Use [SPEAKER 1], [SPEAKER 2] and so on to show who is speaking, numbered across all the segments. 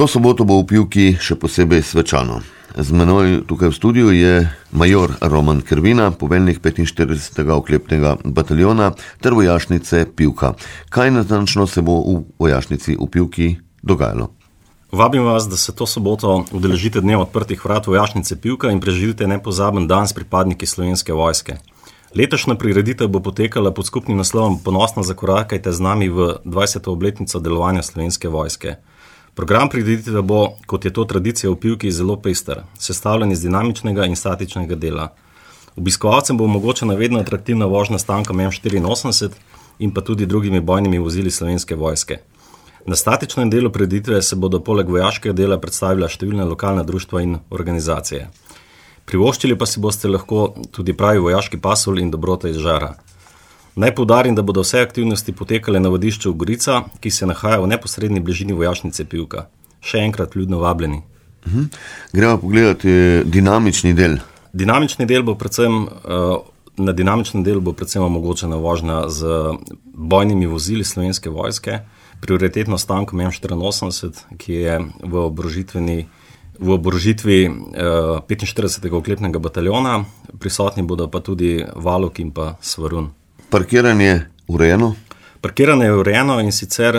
[SPEAKER 1] To soboto bo v Pivki še posebej svečano. Z menoj tukaj v studiu je major Roman Krvina, poveljnik 45. oklepnega bataljona ter vojašnice Pivka. Kaj natančno se bo v vojašnici v Pivki dogajalo?
[SPEAKER 2] Vabim vas, da se to soboto udeležite dneva odprtih vrat vojašnice Pivka in preživite nepozaben dan s pripadniki Slovenske vojske. Letošnja prireditev bo potekala pod skupnim naslovom Ponosno zakorakajte z nami v 20. obletnico delovanja Slovenske vojske. Program prireditve bo, kot je to tradicija v Pivki, zelo pester, sestavljen iz dinamičnega in statičnega dela. Obiskovalcem bo omogočena vedno atraktivna vožnja s tankom M84 in pa tudi drugimi bojnimi vozili Slovenske vojske. Na statičnem delu prireditve se bodo poleg vojaškega dela predstavila številne lokalne društva in organizacije. Privoščili pa si boste lahko tudi pravi vojaški pasulj in dobrote iz žara. Naj poudarim, da bodo vse aktivnosti potekale na vadišču Gorica, ki se nahaja v neposredni bližini vojašnice Pivka. Še enkrat ljudno vabljeni.
[SPEAKER 1] Gremo pogledati dinamični del.
[SPEAKER 2] Na dinamičnem delu bo predvsem omogočena vožnja z bojnimi vozili Slovenske vojske, prioritetno s tankom M84, ki je v oborožitvi 45. oklepnega bataljona, prisotni bodo pa tudi Valuk in pa Svarun.
[SPEAKER 1] Parkiranje urejeno?
[SPEAKER 2] Parkiranje je urejeno in sicer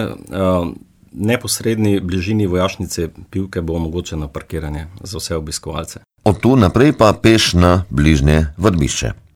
[SPEAKER 2] neposredni bližini vojašnice Pivke bo omogočeno parkiranje za vse obiskovalce.
[SPEAKER 1] Od tu naprej pa peš na bližnje vadbišče.